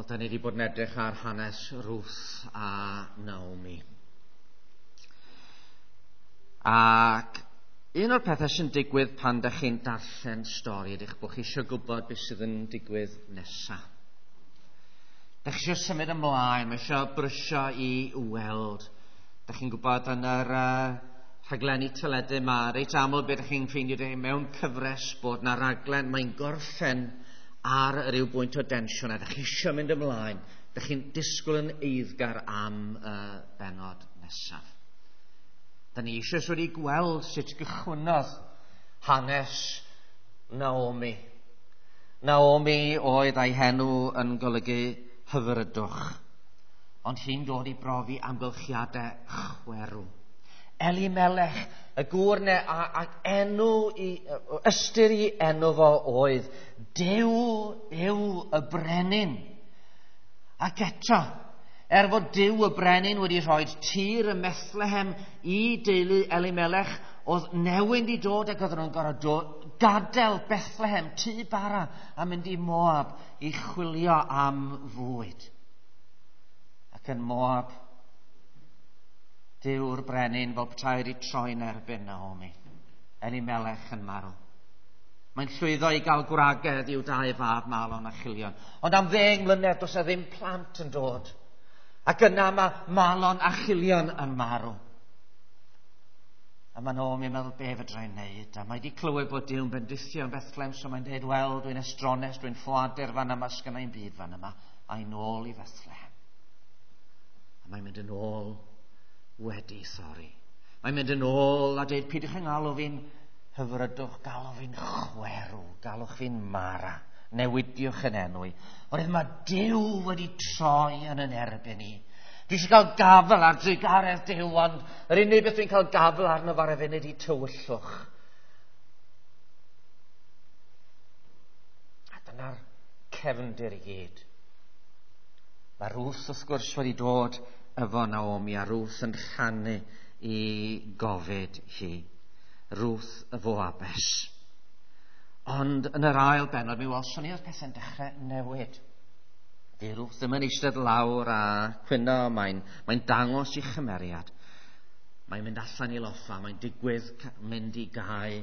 Wel, da ni wedi bod yn edrych ar hanes Ruth a Naomi. Ac un o'r pethau sy'n digwydd pan da chi'n darllen stori ydych bod chi eisiau gwybod beth sydd yn digwydd nesaf. Da chi eisiau symud ymlaen, mae eisiau brysio i weld. Da chi'n gwybod yn yr rhaglenni teledu yma, reit aml beth ydych chi'n ffeindio mewn cyfres bod na raglen, mae'n gorffen ar ryw bwynt o densiwn a ydych chi eisiau mynd ymlaen. Ydych chi'n disgwyl yn eiddgar am y bennod nesaf. Da ni eisoes wedi gweld sut gychwynnodd hanes Naomi. Naomi oedd ei henw yn golygu hyfrydwch, ond hi'n dod i brofi amgylchiadau chwerw. Elimelech, y gŵr ne, ac enw i, ystyr i enw fo oedd Duw yw y brenin. Ac eto, fod Duw y brenin wedi rhoi tir ym Methlehem i deulu Elimelech, oedd newyn di dod ac oedden nhw'n gorfod gadael Bethlehem, tŷ bara, a mynd i Moab i chwilio am fwyd. Ac yn Moab, Duw'r brenin fel petai wedi troi'n erbyn Naomi. Elimelech yn marw. Mae'n llwyddo i gael gwragedd i'w dau fab Malon a Chilion. Ond am 10 mlynedd does 'na ddim plant yn dod. Ac yna mae Malon a Chilion yn marw. A mae Naomi'n meddwl, be fedra i wneud? A mae wedi clywed bod Duw'n bendithio yn Bethlehem, so mae'n dweud, wel, dwi'n estrones, dwi'n ffoadur fan yma, sgynna i'm byd fan yma. A i nôl i Bethlehem. A mae'n mynd yn ôl wedi thorri. Mae'n mynd yn ôl a dweud, peidiwch yn galw fi'n hyfrydwch, galw fi'n chwerw, galwch fi'n Mara, newidiwch yn enw i. Oherwydd mae Duw wedi troi yn yn erbyn i. Dwi eisiau cael gafel ar drugaredd Duw, ond yr unig beth dwi'n cael gafel arno fo ar y funud i tywyllwch. A dyna'r cefndir i gyd. Mae Ruth wrth gwrs wedi dod efo Naomi a Ruth yn rhannu i gofid hi. Ruth y Foabes. Ond yn yr ail bennod mi welson ni oedd pethau'n dechrau newid. Di Ruth ddim yn eistedd lawr a cwyno, mae'n dangos i chymeriad. Mae'n mynd allan i loffa, mae'n digwydd mynd i gae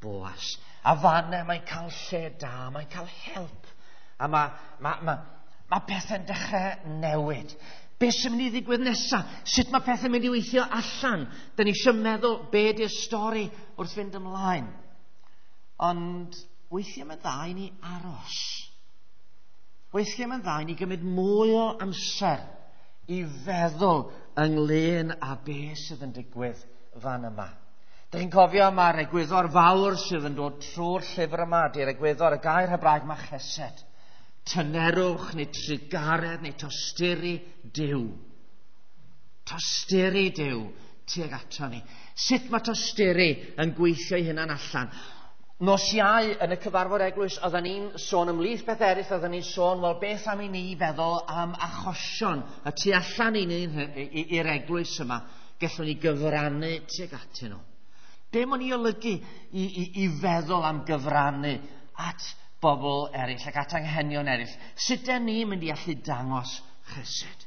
Boas. A fanne mae'n cael lle da, mae'n cael help. A mae pethau'n dechrau newid. Be sy'n mynd i ddigwydd nesaf? Sut mae pethau'n mynd i weithio allan? Da ni eisiau meddwl be di'r stori wrth fynd ymlaen. Ond weithiau mae'n dda i ni aros. Weithiau mae'n dda i ni gymryd mwy o amser i feddwl ynglyn â be sydd yn digwydd fan yma. Da chi'n cofio mae'r egwyddor fawr sydd yn dod trwy'r llyfr yma, di'r egwyddor y gair Hebraeg mae chesed. Tynerwch neu trugaredd neu tosturi Duw. Tosturi Duw tuag ato ni. Sut mae tosturi yn gweithio ei hunan allan? Nos Iau yn y cyfarfod eglwys, oedden ni'n sôn ymhlith beth eraill, oedden ni'n sôn, wel, beth am i ni feddwl am achosion y tu allan i ni i'r eglwys yma, gallwn ni gyfrannu tuag atyn nhw. Be mae'n ei olygu i feddwl am gyfrannu at bobl eraill ac at anghenion eraill? Sut ydyn ni'n mynd i allu dangos chesed?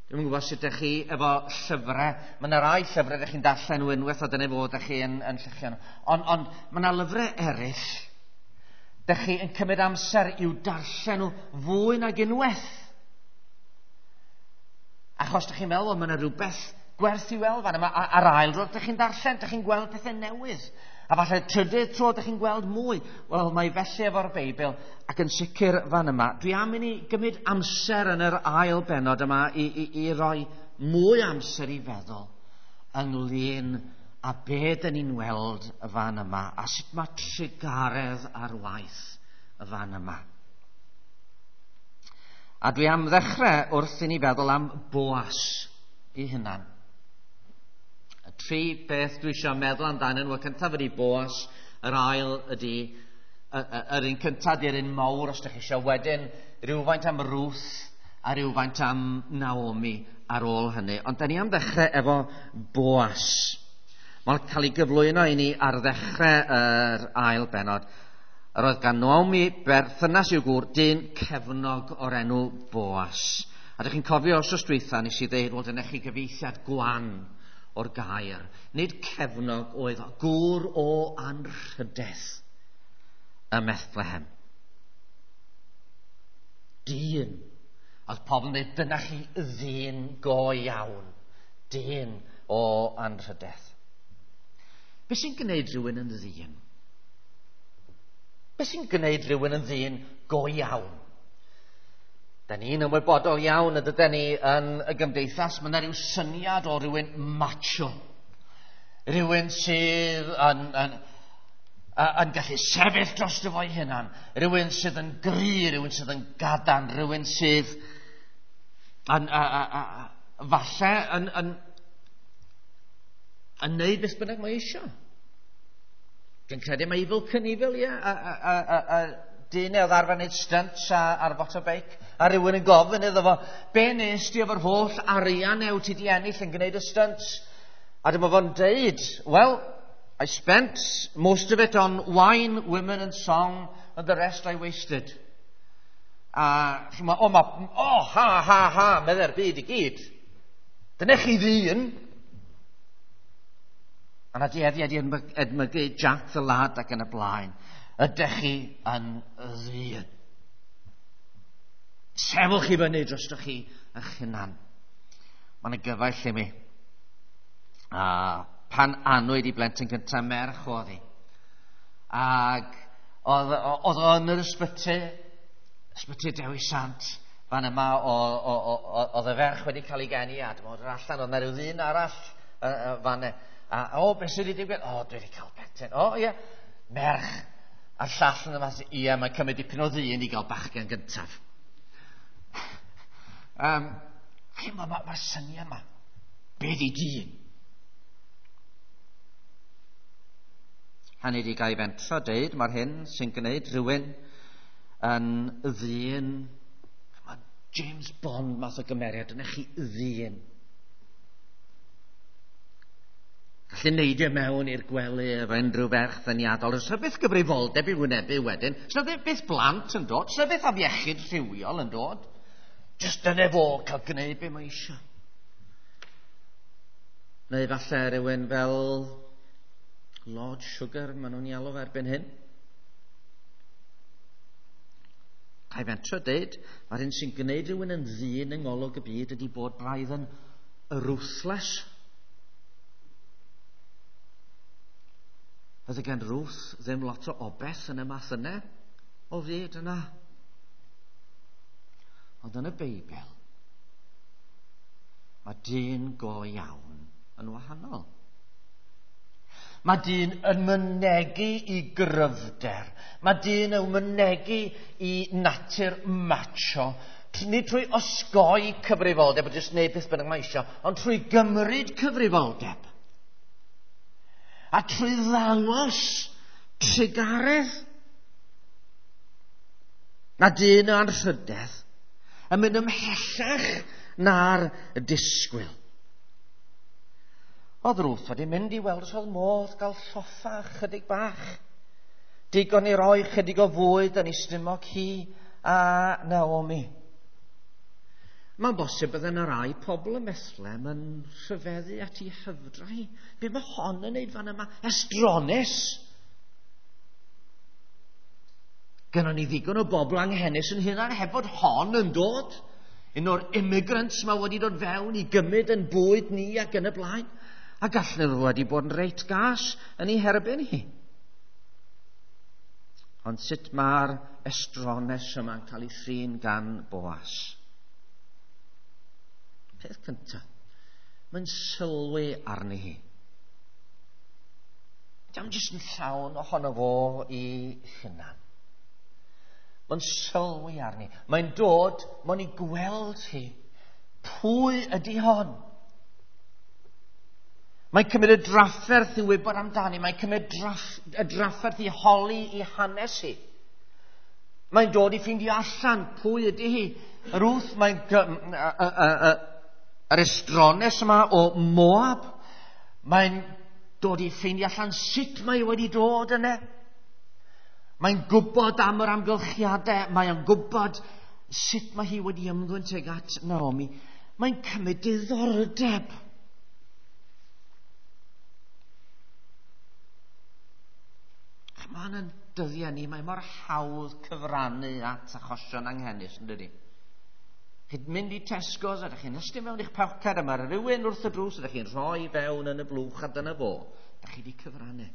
Dwi'm yn gwybod sut ydych chi efo llyfrau. Mae yna rai llyfrau ydych chi'n darllen nhw unwaith a dyna fod ydych chi yn lluchio nhw. Ond mae yna lyfrau eraill ydych chi yn cymryd amser i'w darllen nhw fwy nag unwaith. Achos ydych chi'n meddwl, mae yna rhywbeth gwerth i weld fan yma. A'r ail dro ydych chi'n darllen, ydych chi'n gweld pethau newydd. A falle trydydd tro ydych chi'n gweld mwy. Wel, mae felly efo'r Beibl ac yn sicr fan yma. Dwi am i ni gymryd amser yn yr ail bennod yma i roi mwy amser i feddwl ynglyn â be dyn ni'n weld fan yma a sut mae trugaredd ar waith fan yma. A dwi am ddechrau wrth i ni feddwl am Boas i hunan. Y tri beth dwi eisiau meddwl amdanyn nhw, y cyntaf ydy Boas, yr ail ydy, yr un cyntaf ydy'r un mawr os ydych chi eisiau, wedyn rhywfaint am Ruth a rhywfaint am Naomi ar ôl hynny. Ond da ni am ddechrau efo Boas. Mae'n cael ei gyflwyno i ni ar ddechrau yr ail bennod. Yr oedd gan Naomi berthynas i'w gŵr, dyn cefnog o'r enw Boas. A dych chi'n cofio os oes dwytha nes i ddeud, wel, dyna chi gyfieithiad gwan o'r gair. Nid cefnog oedd o, gŵr o anrhydedd ym Methlehem. Dyn. Oedd pobl yn dweud, dyna chi ddyn go iawn. Dyn o anrhydedd. Be sy'n gwneud rhywun yn ddyn? Be sy'n gwneud rhywun yn ddyn go iawn? Da ni'n ymwybodol iawn y dydyn ni yn y gymdeithas, mae yna rhyw syniad o rhywun macho. Rhywun sydd yn gallu sefyll dros dy fo'i hunan. Rhywun sydd yn gry, rhywun sydd yn gadarn, rhywun sydd yn, falle yn neud beth bynnag mae eisiau. Dwi'n credu mae Evel Knievel, ie, a dyn oedd arfer wneud stunts ar fotobeic, a rhywun yn gofyn iddo fo, be nes ti efo'r holl arian ew ti di ennill yn gwneud y stunts? A dyma fo'n deud, well, I spent most of it on wine, women and song, and the rest I wasted. A chi'n o, ma, o, ha, ha, ha, medde'r byd i gyd. Dyna chi ddyn. A na dueddiad i edmygu Jack the Lad ac yn y blaen. Ydych chi yn ddyn? Sefwch chi fyny drostoch chi eich hunan. Mae yna gyfaill i mi. A pan anwyd i blentyn gyntaf, merch oedd hi. Ac oedd o yn yr ysbyty, ysbyty Dewi Sant, fan yma oedd y ferch wedi cael ei geni a dyma oedd allan, oedd yna rhyw ddyn arall fan yna. A, o, beth sydd wedi digwydd? O, dwi wedi cael plentyn. O, ie, merch. A'r llall yn yma, ie, mae'n cymryd dipyn o ddyn i gael bachgen gyntaf. Mae'r syniad yma. Be di dyn? Hynny di gael ei fentro deud, mae'r hyn sy'n gwneud rhywun yn ddyn. Mae James Bond math o gymeriad, yna chi ddyn. Gallu neidio mewn i'r gwely efo unrhyw ferch ddyniadol. Oes 'na byth gyfrifoldeb i wynebu wedyn. Oes 'na byth blant yn dod. Oes 'na byth afiechyd rhywiol yn dod. Jyst dyna fo cael gwneud be mae eisiau. Neu falle rhywun fel Lord Sugar, maen nhw'n ei alw fe erbyn hyn. Ga i fentro deud, mae'r hyn sy'n gwneud rhywun yn ddyn yng ngolwg y byd ydy bod braidd yn ruthless. Fydde gen Ruth ddim lot o obeth yn y math yna o fyd yna. Ond yn y Beibl, mae dyn go iawn yn wahanol. Mae dyn yn mynegi i gryfder. Mae dyn yn mynegi i natur macho. Nid trwy osgoi cyfrifoldeb, a jyst wneud beth bynnag mae eisiau, ond trwy gymryd cyfrifoldeb. A trwy ddangos trugaredd. Na dyn o anrhydedd yn mynd ymhellach na'r disgwyl. Oedd Ruth wedi mynd i weld os oedd modd gael lloffa chydig bach. Digon i roi chydig o fwyd yn ei stumog hi a Naomi. Mae'n bosib bydde yna rai pobl ym Methlehem yn rhyfeddu at ei hyfdra hi. Be mae hon yn neud fan yma? Estrones! Gynnon ni ddigon o bobl anghenus yn hunan heb fod hon yn dod. Un o'r immigrants mae wedi dod fewn i gymryd yn bwyd ni ac yn y blaen. A gallen nhw wedi bod yn reit gas yn ei herbyn hi. Ond sut mae'r estrones yma'n cael ei thrin gan Boas? Peth cyntaf, mae'n sylwi arni hi. Diolch jyst yn llawn ohono fo i hunan. Mae'n sylwi arni. Mae'n dod, mae'n ei gweld hi. Pwy ydy hon? Mae'n cymryd y drafferth i wybod amdani. Mae'n cymryd y drafferth i holi i hanes hi. Mae'n dod i ffeindio allan pwy ydy hi. Ruth, mae'n yr estrones yma o Moab. Mae'n dod i ffeindio allan sut mae wedi dod yna. Mae'n gwybod am yr amgylchiadau, mae'n gwybod sut mae hi wedi ymddwyn tuag at Naomi. Mae'n cymryd diddordeb. Mae'n yn dyddiau ni, mae mor hawdd cyfrannu at achosion anghenus, yn dydi? Chi'n mynd i Tesco's a ydych chi'n ystyn mewn i'ch poced a mae rhywun wrth y drws ydych chi'n rhoi fewn yn y blwch a dyna fo. Ydych chi wedi cyfrannu.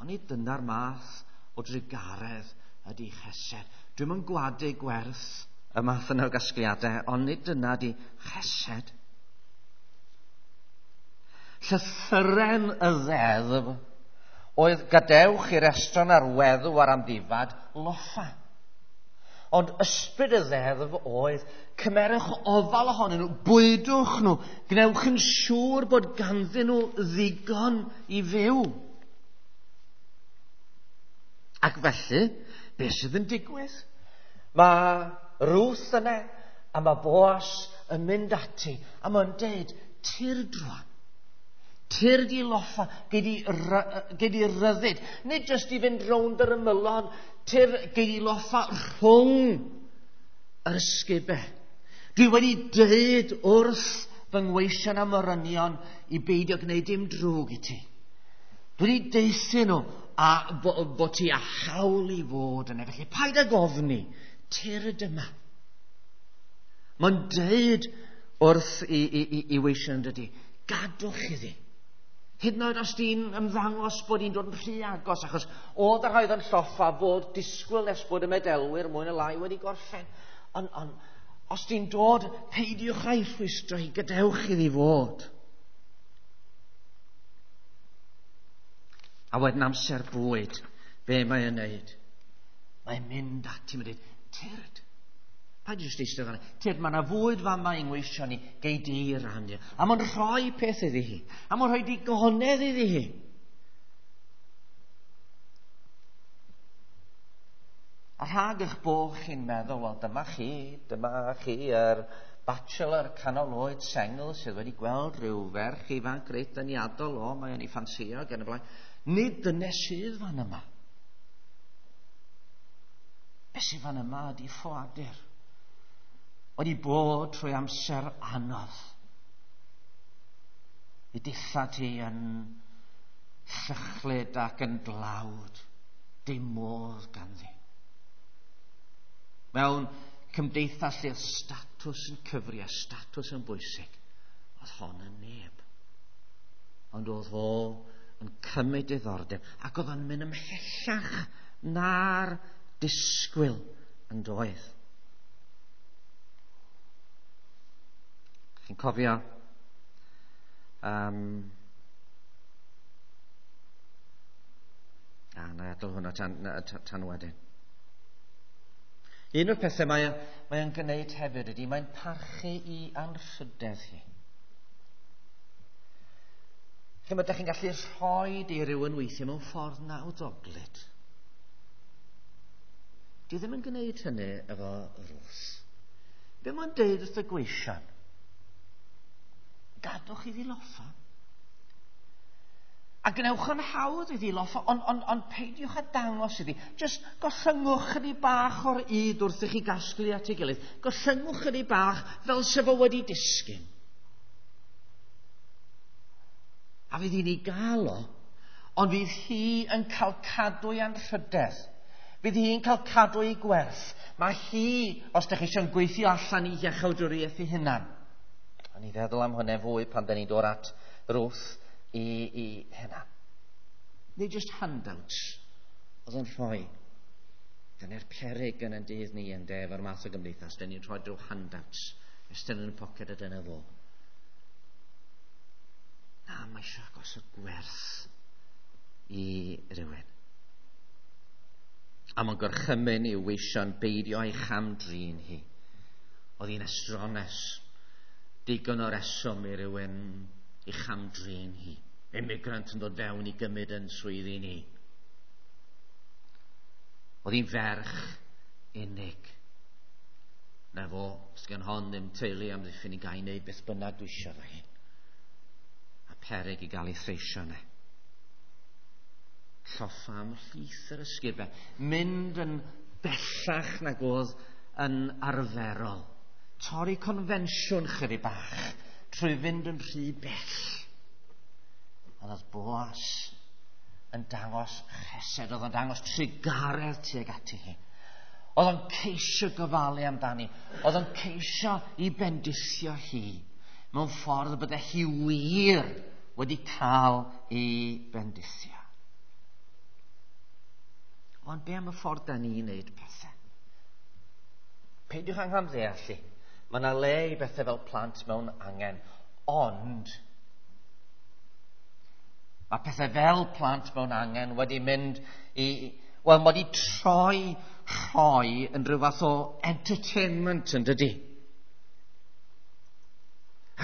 Ond nid dyna'r math o drugaredd ydy chesed. Dwi'm yn gwadu gwerth y math yna o gasgliadau, ond nid dyna di chesed. Llythyren y ddeddf oedd gadewch i'r estron a'r weddw a'r amddifad loffa. Ond ysbryd y ddeddf oedd cymerwch ofal ohonyn nhw, bwydwch nhw, gwnewch yn siŵr bod ganddyn nhw ddigon i fyw. Ac felly, beth sydd yn digwydd? Mae Ruth yna a mae Boas yn mynd ati a mae'n deud, tyrd rwan. Tyrd i loffa, gei di ryddid. Nid jyst i fynd rownd yr ymylon, tyrd gei di loffa rhwng yr ysgubau. Dwi wedi dweud wrth fy ngweision am morynion i beidio gwneud dim drwg i ti. Dwi wedi deuthu nhw a bod ti â hawl i fod yna. Felly paid ag ofni, tyrd yma. Mae'n deud wrth i weision dydy, gadwch iddi. Hyd yn oed os di'n ymddangos bod hi'n dod yn rhy agos, achos oedd y rhai oedd yn lloffa fod disgwyl nes bod y medelwyr mwy na lai wedi gorffen. Ond os di'n dod, peidiwch â'i rhwystro hi, gadewch iddi fod. A wedyn amser bwyd, be mae'n neud? Mae'n mynd ati, mae'n dweud, tyrd. Paid jyst eistedd fan'na. Tyrd, mae yna fwyd fama i'n ngweisio ni, gei di rannu. A mae'n rhoi peth iddi hi. A mae'n rhoi digonedd iddi hi. A rhag eich bod chi'n meddwl, wel dyma chi yr bachelor canol oed sengl sydd wedi gweld rhyw ferch ifanc reit ddeniadol, o, mae'n ei ffansio ac yn y blaen. Nid dyna sydd fan yma. Be sydd fan yma ydi ffoadur. Wedi bod trwy amser anodd. I dillad hi yn llychlyd ac yn dlawd. Dim modd ganddi. Mewn cymdeithas lle statws yn cyfri a statws yn bwysig, oedd hon yn neb. Ond oedd o yn cymryd diddordeb ac oedd o'n mynd ymhellach na'r disgwyl yn doedd. Chi'n cofio na i adael hwnna tan wedyn. Un o'r pethau mae o'n gwneud hefyd ydy mae'n parchu i anrhydedd hi. Chi'n ydych chi'n gallu rhoi i rywun weithiau mewn ffordd nawddoglyd. Dwi ddim yn gwneud hynny efo Ruth. Be mae'n deud wrth y gweision? Gadwch iddi loffa. A gwnewch yn hawdd iddi loffa, ond peidiwch â dangos iddi. Jyst gollyngwch chydig bach o'r yd wrth i chi gasglu at ei gilydd. Gollyngwch chydig bach fel se fo wedi disgyn. A fydd hi'n ei gael o, ond fydd hi yn cael cadw ei anrhydedd. Fydd hi'n cael cadw ei gwerth. Mae hi, os ydych chi eisiau'n gweithio allan i iachawdwriaeth ei hunan. O'n i feddwl am hwnna fwy pan da ni'n dod at Ruth i hynna. Nid just handouts oedd yn rhoi. Dyna'r peryg yn ein dydd ni yn de, efo'r math o gymdeithas. Dyna ni'n rhoi drwy handouts. Estyn yn y poced a dyna fo. Na, mae eisiau gosod gwerth i rywun. A mae'n gorchymyn i'w weision beidio â'i chamdrin hi. Oedd hi'n estrones. Digon o reswm i rywun i chamdrin hi. Immigrant yn dod fewn i gymryd yn swyddi ni. Oedd hi'n ferch unig. Na fo, sgan hon ddim teulu amddiffyn i gael wneud beth bynnag dwi eisiau fo hi. A peryg i gael ei threisio yna. Lloffa ymhlith yr ysgubau. Mynd yn bellach nag oedd yn arferol. Torri confensiwn chydig bach trwy fynd yn rhy bell. Ond oedd Boas yn dangos chesed, oedd o'n dangos trugaredd tuag ati hi. Oedd o'n ceisio gofalu amdani. Oedd o'n ceisio i bendithio hi mewn ffordd y bydde hi wir wedi cael ei bendithio. Ond be am y ffordd da ni'n neud pethau? Peidiwch anghamddeall i. Mae yna le i bethau fel plant mewn angen, ond mae pethau fel plant mewn angen wedi mynd i... Wel, mae wedi troi rhoi yn rhyw fath o entertainment, yn dydy?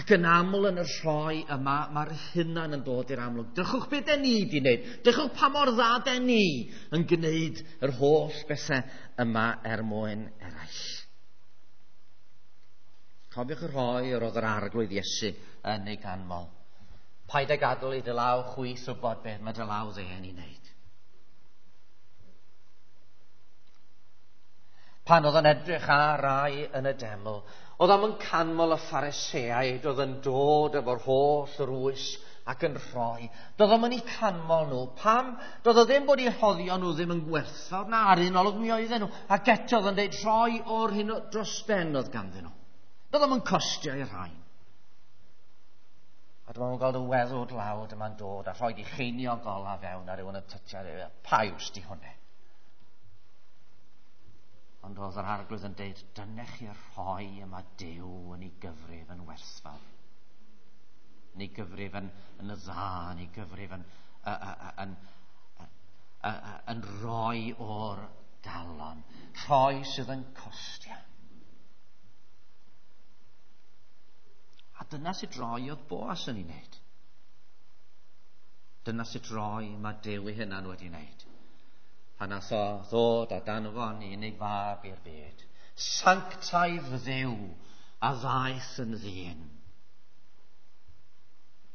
Ac yn aml yn y rhoi yma, mae'r hunan yn dod i'r amlwg. Drychwch beth den ni wedi wneud. Drychwch pa mor dda den ni yn gwneud yr holl bethau yma er mwyn eraill. Cofiwch y rhoi yr oedd yr arglwydd Iesu yn ei ganmol. Paid â gadael i dy law chwith wybod beth mae dy law dde yn ei wneud. Pan oedd yn edrych ar rai yn y deml, oedd am yn canmol y Phariseaid oedd yn dod efo'r holl rwys ac yn rhoi. Doedd o'm yn eu canmol nhw. Pam? Doedd o ddim bod eu rhoddion nhw ddim yn gwerthfawr. Na, ar un olwg mi oedden nhw. Ac eto oedd yn dweud rhoi o'r hyn dros ben oedd ganddyn nhw. Doedd o'm yn costio i'r rhain. A dyma nhw'n gweld y weddw dlawd yma'n dod a rhoi di cheiniog ola fewn a rhywun yn tytio. Pa iws di hwnna? Ond oedd yr arglwydd yn deud, dyna chi'r rhoi yma Duw yn ei gyfrif yn werthfawr. Yn ei gyfrif yn dda, yn ei gyfrif yn rhoi o'r galon. Rhoi sydd yn costio. A dyna sut roi oedd Boas yn ei wneud. Dyna sut roi mae Duw ei hunan wedi wneud. Pan nath o ddod a danfon unig fab i'r byd. Sanctaidd Dduw a ddaeth yn ddyn.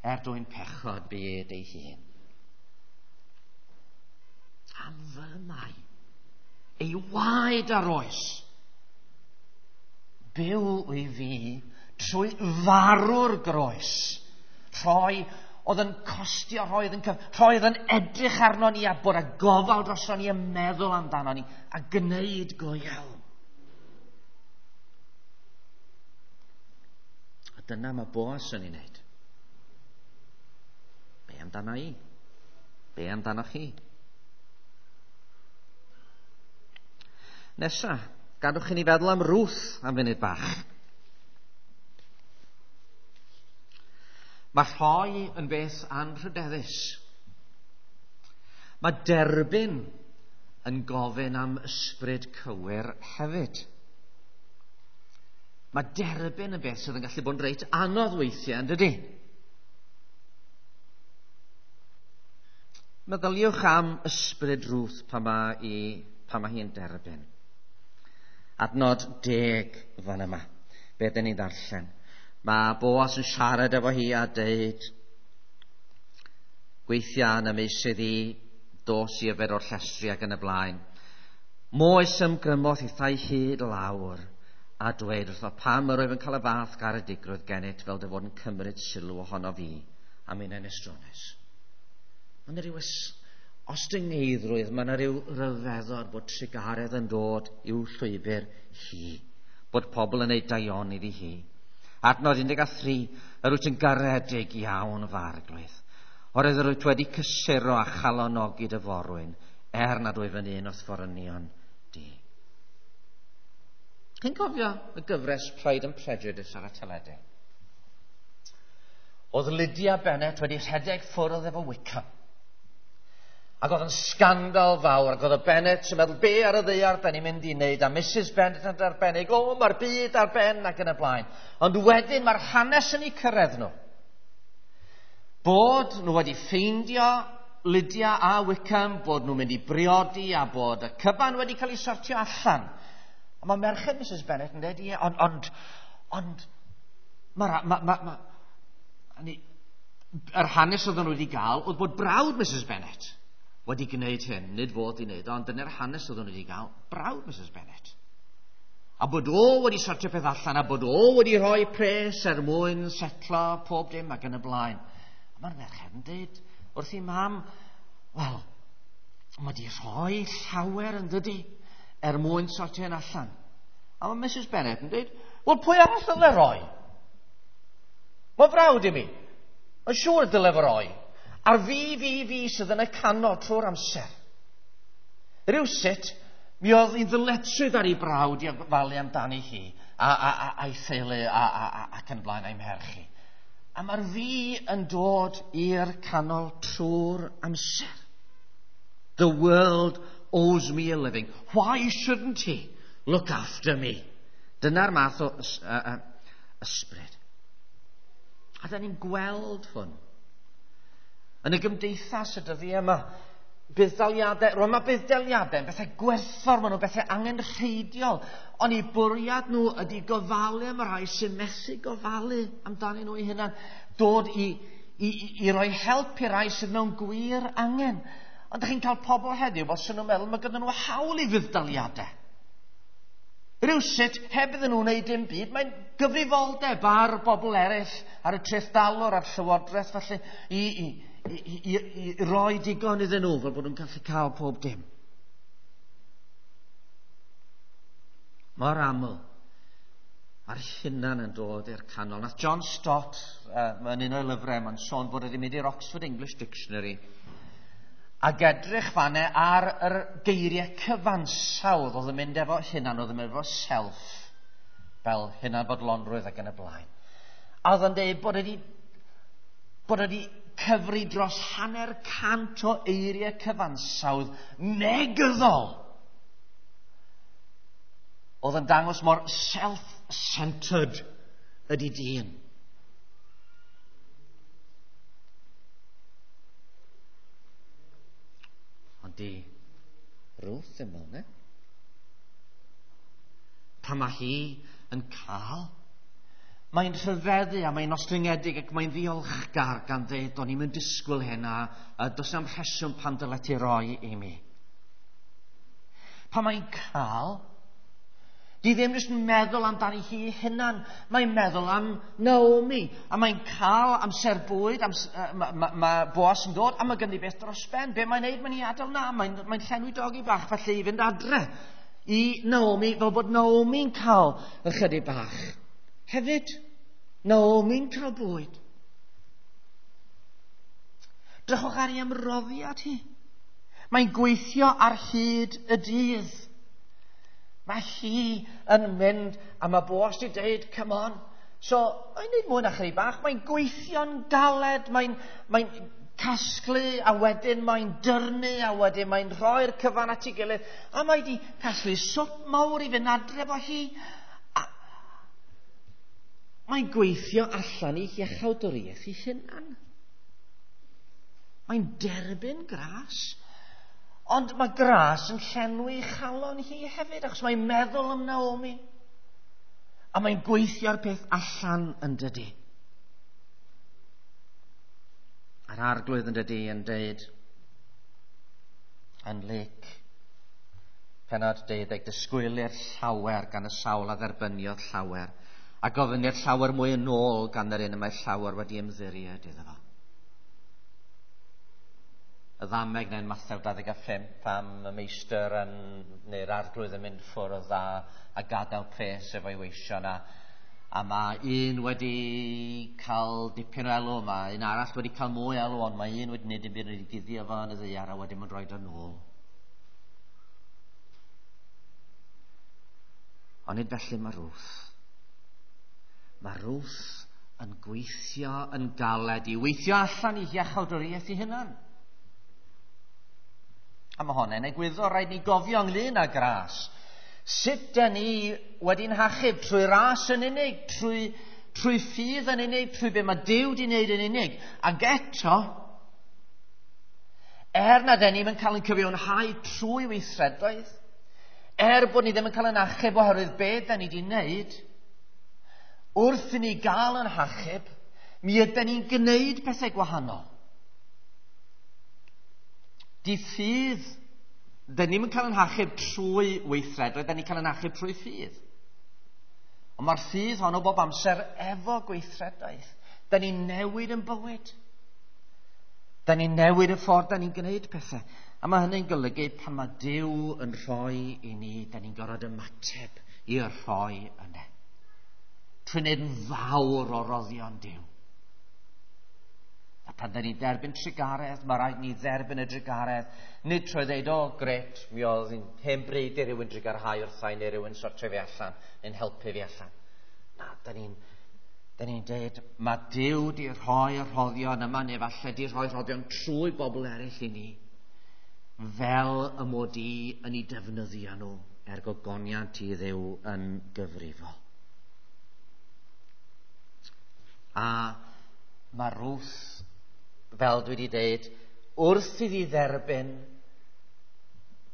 Er dwyn pechod byd ei hun. Am fy mai. Ei waed ar oes. Byw i fi trwy farw'r groes. Rhoi oedd yn costio, rhoi oedd yn edrych arno ni a bod a gofal drosto ni a meddwl amdano ni a gwneud go iawn. A dyna mae Boas yn ei wneud. Be amdano i? Be amdano chi? Nesa, gadwch i ni feddwl am Ruth am funud bach. Mae rhoi yn beth anrhydeddus. Mae derbyn yn gofyn am ysbryd cywir hefyd. Mae derbyn yn beth sydd yn gallu bod yn reit anodd weithiau, yn dydy? Meddyliwch am ysbryd Ruth pan mae hi'n derbyn. Adnod 10 fan yma, be dyn ni'n ddarllen. Mae Boas yn siarad efo hi a deud, gweithia yn y meysydd i, dos i yfed o'r llestri ac yn y blaen. Moes ymgrymodd hithau hyd lawr a dweud wrtho pam yr oedd yn cael y fath garedigrwydd gennyt fel dy fod yn cymryd sylw ohono fi am un estrones. Mae yna rhyw ostyngeiddrwydd, mae yna rhyw ryfeddod bod trugaredd yn dod i'w llwybr hi, bod pobl yn ei daioni iddi hi. Adnod 13, yr wyt yn garedig iawn fy arglwydd. Oherwydd yr wyt wedi cysuro a chalonogi dy forwyn, er nad wyf yn un o'th forynion di. Chi'n cofio y gyfres Pride and Prejudice ar y teledu? Oedd Lydia Bennet wedi rhedeg ffwrdd efo Wickham. Ac oedd yn sgandal fawr, ac oedd y Bennet yn meddwl, be ar y ddaear da ni'n mynd i wneud, a Mrs Bennet yn arbennig, o, mae'r byd ar ben ac yn y blaen. Ond wedyn mae'r hanes yn eu cyrraedd nhw. Bod nhw wedi ffeindio Lydia a Wickham, bod nhw'n mynd i briodi a bod y cyfan wedi cael ei sortio allan. A mae merched Mrs Bennet yn dweud, ie, ond, yr hanes oedden nhw wedi gael oedd bod brawd Mrs Bennet wedi gwneud hyn, nid fod i wneud, ond dyna'r hanes oedd wedi gael, brawd Mrs Bennet. A bod o wedi sortio peth allan, a bod o wedi rhoi pres er mwyn setlo pob dim ac yn y blaen. A mae'r merched yn dweud wrth i mam, wel, mae wedi rhoi llawer yn dydy er mwyn sortio hyn allan. A mae Mrs Bennet yn dweud, wel, pwy arall ddyle roi? Mae frawd i mi. Mae'n siŵr dyle fo roi. A'r fi, fi, fi sydd yn y canol trwy'r amser. Rhywsut, mi oedd hi'n ddyletswydd ar ei brawd i ofalu amdani hi, a, a, a, a'i theulu a, a, a, ac yn blaen a'i mherch hi. A mae'r fi yn dod i'r canol trwy'r amser. The world owes me a living. Why shouldn't he look after me? Dyna'r math o ysbryd. A da ni'n gweld hwn. Yn y gymdeithas y dyddiau yma, budd-daliadau, rwan mae budd-daliadau yn bethau gwerthfawr, maen nhw'n bethau angenrheidiol, ond eu bwriad nhw ydy gofalu am y rhai sy'n methu gofalu amdanyn nhw eu hunan, dod i, i, i, i roi help i rai sydd mewn gwir angen. Ond ydych chi'n cael pobl heddiw fel sy'n nhw'n meddwl mae gyda nhw hawl i fudd-daliadau. Rhywsut, heb iddyn nhw wneud dim byd, mae'n gyfrifoldeb ar bobl eraill, ar y trethdalwr, a'r llywodraeth falle, i, i, i, i, i roi digon iddyn nhw fel bod nhw'n gallu cael pob dim. Mor aml, mae'r hunan yn dod i'r canol. Nath John Stott, mae'n un o'i lyfrau, mae'n sôn bod wedi mynd i'r Oxford English Dictionary ac edrych fanne ar yr geiriau cyfansawdd oedd yn mynd efo hunan, oedd yn mynd efo self, fel hunanfodlonrwydd ac yn y blaen. A oedd yn dweud bod wedi, bod wedi cyfri dros 50% o eiriau cyfansawdd negyddol oedd yn dangos mor self-centered ydy dyn. Ond di Ruth ddim fel 'na. Pan mae hi yn cael, mae'n rhyfeddu a mae'n ostyngedig ac mae'n ddiolchgar gan ddeud, o'n i'm yn disgwyl hyn a, a does na'm rheswm pam dyle ti roi i mi. Pan mae'n cael, di ddim jyst yn meddwl amdani hi hunan, mae'n meddwl am Naomi, a mae'n cael amser bwyd, amser, mae ma, ma Boas yn dod, a mae ganddi beth dros ben. Be mae'n neud? Mae'n ei adael na, mae'n mae llenwi dogi bach felly i fynd adre i Naomi, fel bod Naomi'n cael ychydig bach. Hefyd, Naomi'n cael bwyd. Drychwch ar ei ymroddiad hi. Mae'n gweithio ar hyd y dydd. Mae hi yn mynd, a mae Boas di deud, come on. So, mae'n neud mwy na chydig bach. Mae'n gweithio'n galed, mae'n mae casglu, a wedyn mae'n dyrnu, a wedyn mae'n rhoi'r cyfan at ei gilydd. A mae di casglu swp mawr i fynd adre efo hi. A mae'n gweithio allan i iachawdwriaeth ei hunan. Mae'n derbyn gras. Ond mae gras yn llenwi chalon hi hefyd, achos mae'n meddwl am Naomi. A mae'n gweithio'r peth allan yn dydy. A'r arglwydd yn dydy yn deud yn Luc, pennod 12, disgwylir llawer gan y sawl a dderbyniodd llawer, a gofynir llawer mwy yn ôl gan yr un y mae llawer wedi ymddiried iddo fo. Y ddameg neu'n Mathew 25 am y meistr yn, neu'r arglwydd yn mynd ffwrdd a, a gadael pres efo'i weision a, a mae un wedi cael dipyn o elw, mae un arall wedi cael mwy elw, ond mae un wedi gwneud dim byd wedi guddio fo yn y ddaear a wedyn mae'n rhoi o nôl. Ond nid felly mae Ruth. Mae Ruth yn gweithio yn galed i weithio allan i iachawdwriaeth ei hunan. A mae honna'n egwyddor rhaid ni gofio ynglyn â gras. Sut da ni wedi'n hachub trwy ras yn unig, trwy, trwy ffydd yn unig, trwy be mae Duw wedi wneud yn unig. Ac eto, er na da ni'n cael ein cyfiawnhau trwy weithredoedd, er bod ni ddim yn cael ein achub oherwydd be da ni wedi wneud, wrth i ni gael ein hachub, mi ydy ni'n gwneud pethau gwahanol. Di ffydd, dyn ni'm yn cael ein hachub trwy weithredoedd, dyn ni'n cael ein achub trwy ffydd. Ond mae'r ffydd hon o bob amser efo gweithredoedd. Dyn ni'n newid yn bywyd. Dyn ni'n newid y ffordd dyn ni'n gwneud pethau. A mae hynny'n golygu pan mae Duw yn rhoi i ni, dyn ni'n gorfod ymateb i'r rhoi yna. Trwy wneud yn fawr o roddion Duw. A pan dyn ni'n derbyn trugaredd, mae rhaid ni dderbyn y drugaredd, nid trwy ddeud, o, gret, mi oedd hi'n hen bryd i rywun drugarhau wrtha i neu rywun sortio fi allan, neu'n helpu fi allan. Na, dyn ni'n deud, mae Duw di rhoi y rhoddion yma, neu falle di rhoi rhoddion trwy bobl eraill i ni, fel y mod i yn ei defnyddio nhw er gogoniant i Dduw yn gyfrifol. A mae Ruth, fel dwi wedi deud, wrth iddi dderbyn,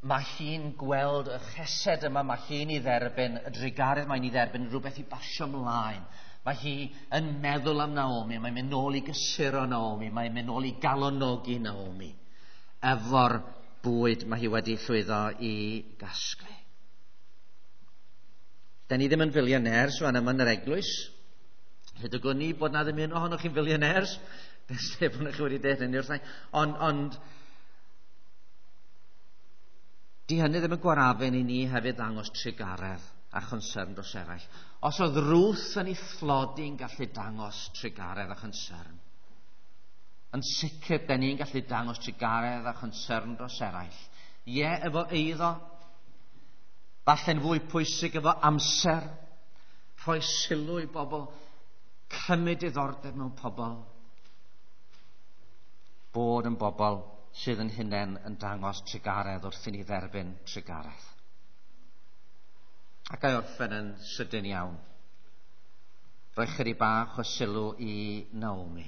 mae hi'n gweld y chesed yma, mae hi'n ei dderbyn, y drugaredd mae'n ei dderbyn, rhywbeth i basio ymlaen. Mae hi yn meddwl am Naomi, mae'n mynd nôl i gysuro Naomi, mae'n mynd nôl i galonogi Naomi efo'r bwyd mae hi wedi llwyddo i gasglu. Da ni ddim yn fillionaires fan yma yn yr eglwys. Hyd y gwn i bod na ddim un ohonoch chi'n fillionaires. Beth bod chi wedi deud hynny wrtha i. Ond di hynny ddim yn gwarafun i ni hefyd ddangos trugaredd a chonsern dros eraill. Os oedd Ruth yn ei thlodi'n gallu dangos trugaredd a chonsern, yn sicr da ni'n gallu dangos trugaredd a chonsern dros eraill. Ie, efo eiddo, falle'n fwy pwysig efo amser, rhoi sylw i bobl, cymryd diddordeb mewn pobl, bod yn bobl sydd yn hunain yn dangos trugaredd wrth i ni dderbyn trugaredd. Ac a'i orffen yn sydyn iawn. Rhoi chydig bach o sylw i Naomi.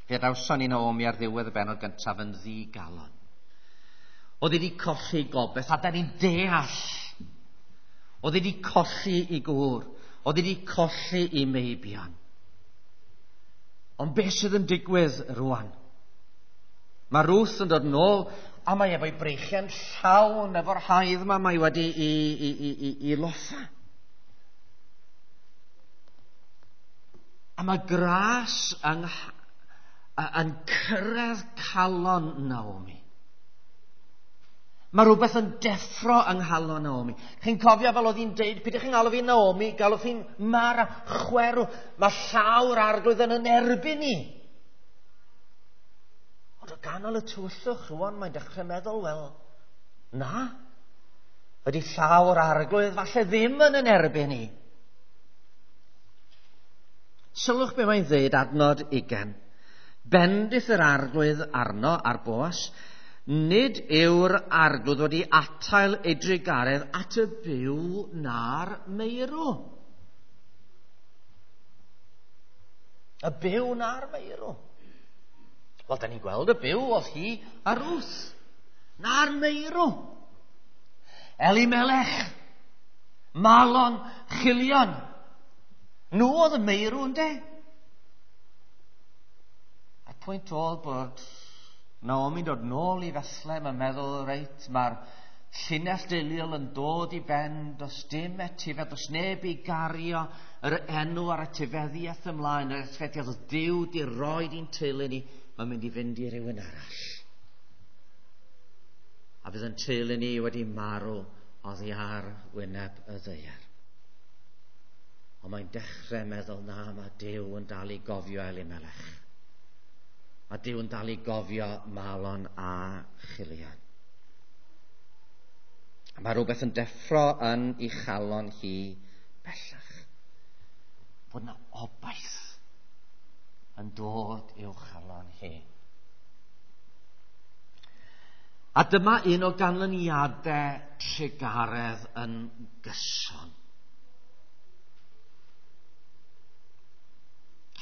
Fe adawson ni Naomi ar ddiwedd y bennod gyntaf yn ddigalon. Oedd wedi colli gobaith, a da ni'n deall. Oedd wedi colli i gŵr. Oedd wedi colli i meibion. Ond beth sydd yn digwydd rwan? Mae Ruth yn dod nôl, a mae efo'i breichiau'n llawn efo'r haidd yma mae wedi i loffa. A mae gras yn cyrraedd calon Naomi. Mae rhywbeth yn deffro yng nghalon Naomi. Chi'n cofio fel oedd hi'n deud, pidwch chi'n galw fi Naomi, galw fi'n Mara, chwerw. Mae llaw'r arglwydd yn erbyn ni. Ond o ganol y tywyllwch rwan, mae'n dechrau meddwl, wel, na. Ydy llaw'r arglwydd falle ddim yn erbyn ni. Sylwch be mae'n dweud adnod 20. Bendith yr arglwydd arno ar Boas, nid yw'r arglwydd wedi atael ei drugaredd at y byw na'r meirw. Y byw na'r meirw. Wel, da ni'n gweld y byw oedd hi a Ruth. Na'r meirw. Elimelech, Malon, Chilion. Nhw oedd y meirw, ynde? A'r pwynt oedd bod Naomi'n dod nôl i Bethlehem yn meddwl, reit, mae'r llinell deuluol yn dod i ben, does dim etifedd, does neb i gario yr enw a'r etifeddiaeth ymlaen, yr etifeddiaeth oedd Duw di roed i'n teulu ni, mae'n mynd i fynd i rywun arall. A fydd yn teulu ni wedi marw oddi ar wyneb y ddaear. Ond mae'n dechrau meddwl, na, mae Duw yn dal i gofio Elimelech. Mae Duw yn dal i gofio Malon a Chilion. A mae rhywbeth yn deffro yn ei chalon hi bellach. Bod yna obaith yn dod i'w chalon hi. A dyma un o ganlyniadau trugaredd yn gyson.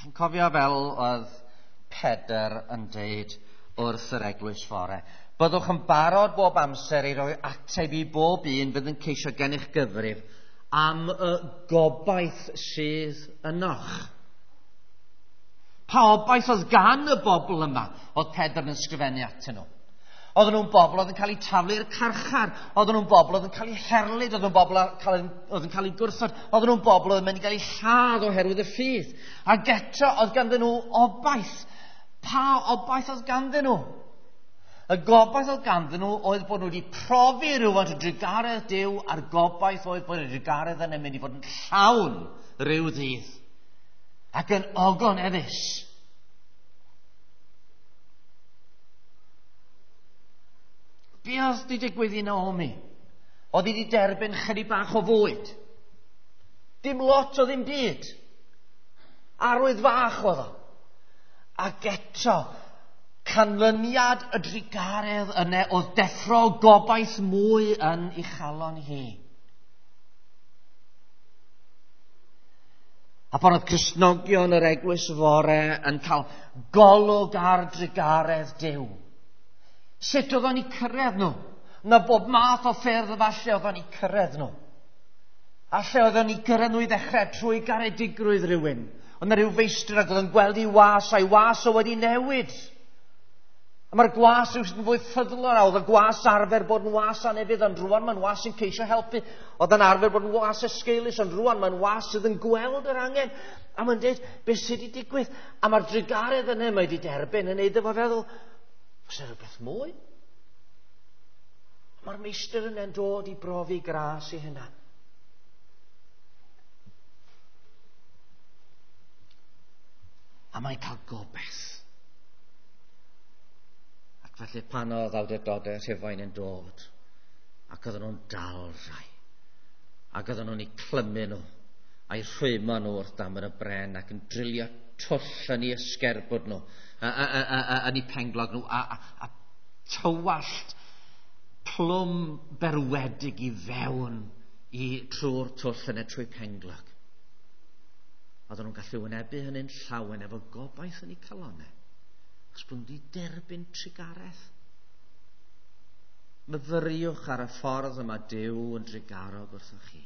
Chi'n cofio fel oedd Pedr yn deud wrth yr eglwys fore, byddwch yn barod bob amser i roi ateb i bob un fydd yn ceisio gennych gyfrif am y gobaith sydd ynoch. Pa obaith oedd gan y bobl yma oedd Pedr yn ysgrifennu atyn nhw? Oedden nhw'n bobl oedd yn cael eu taflu i'r carchar. Oedden nhw'n bobl oedd yn cael eu herlid. Oedden nhw'n bobl oedd yn cael eu gwrthod. Oedden nhw'n bobl oedd yn mynd i gael eu lladd oherwydd y ffydd. Ac eto oedd ganddyn nhw obaith. Pa obaith oedd ganddyn nhw? Y gobaith oedd ganddyn nhw oedd bod nhw wedi profi rhywfaint o drugaredd Duw, a'r gobaith oedd bod y drugaredd yna mynd i fod yn llawn rhyw ddydd ac yn ogoneddus. Be oedd wedi digwydd i Naomi? Oedd hi wedi derbyn chydig bach o fwyd. Dim lot o ddim byd. Arwydd fach oedd o. Ac eto, canlyniad y drugaredd yna oedd deffro gobaith mwy yn ei chalon hi. A pan oedd Cristnogion yr eglwys fore yn cael golwg ar drugaredd Duw, sut oedd o'n eu cyrraedd nhw? Na bob math o ffyrdd falle oedd o'n eu cyrraedd nhw. A lle oedd o'n eu cyrraedd nhw i ddechrau trwy garedigrwydd rhywun. Oedd 'na rhyw feistr ac oedd yn gweld ei was, a'i was o wedi newid. A mae'r gwas rhywsut yn fwy ffyddlon, a oedd y gwas arfer bod yn was anufudd, ond rwan mae'n was sy'n ceisio helpu. Oedd yn arfer bod yn was esgeulus, ond rwan mae'n was sydd yn gweld yr angen. A mae'n dweud, beth sydd wedi digwydd? A mae'r drugaredd yna mae wedi derbyn yn neud efo feddwl, oes yna rhywbeth mwy? Mae'r meistr yna'n dod i brofi gras i hunan. A mae'n cael gobaith. Ac felly pan oedd awdurdodau Rhufain yn dod, ac oedden nhw'n dal rhai, ac oedden nhw'n eu clymu nhw, a'i rhwymo nhw wrth damr y bren, ac yn drilio twll yn eu ysgerbwd nhw, yn eu penglog nhw, a tywallt plwm berwedig i fewn i trwy'r twll yna trwy penglog. Oedden nhw'n gallu wynebu hynny'n llawen efo gobaith yn eu calonnau, achos bod nhw wedi derbyn trugaredd. Myfyriwch ar y ffordd yma Duw yn drugarog wrthoch chi.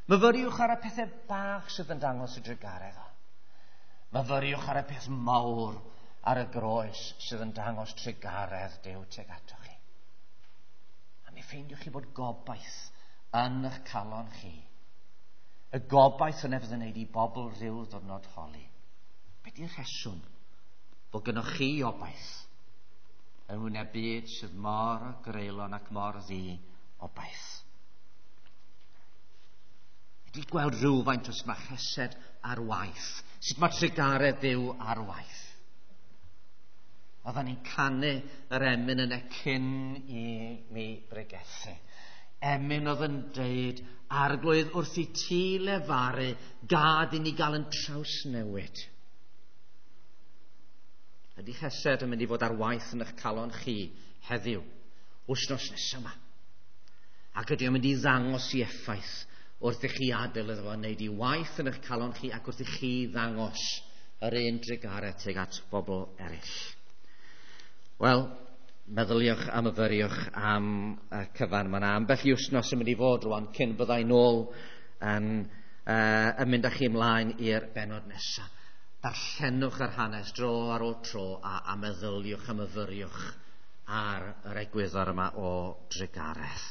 Myfyriwch ar y pethau bach sydd yn dangos y drugaredd o. Myfyriwch ar y peth mawr ar y groes sydd yn dangos trugaredd Duw tuag atoch chi. A mi ffeindiwch chi bod gobaith yn eich calon chi. Y gobaith yna fydd yn neud i bobl rhyw ddwrnod holi. Be di'r rheswm bod gynnoch chi obaith yn wyneb byd sydd mor greulon ac mor ddi obaith? Ydy gweld rhywfaint o sut mae chesed ar waith, sut mae trugaredd Duw ar waith. Oedden ni'n canu yr emyn yna cyn i mi bregethu. Emyn oedd yn deud, Arglwydd, wrth i ti lefaru, gad i ni gael yn trawsnewid. Ydy chesed yn mynd i fod ar waith yn eich calon chi heddiw, wythnos nesaf yma? Ac ydy o'n mynd i ddangos i effaith wrth i chi adael iddo fo wneud i waith yn eich calon chi ac wrth i chi ddangos yr un drugaredd tuag at bobl eraill. Wel, meddyliwch a myfyriwch am y cyfan. Mae yna ambell i wythnos yn mynd i fod rwan cyn byddai nôl yn mynd â chi ymlaen i'r bennod nesaf. Darllenwch yr hanes dro ar ôl tro a meddyliwch a myfyriwch ar yr egwyddor yma o drugaredd.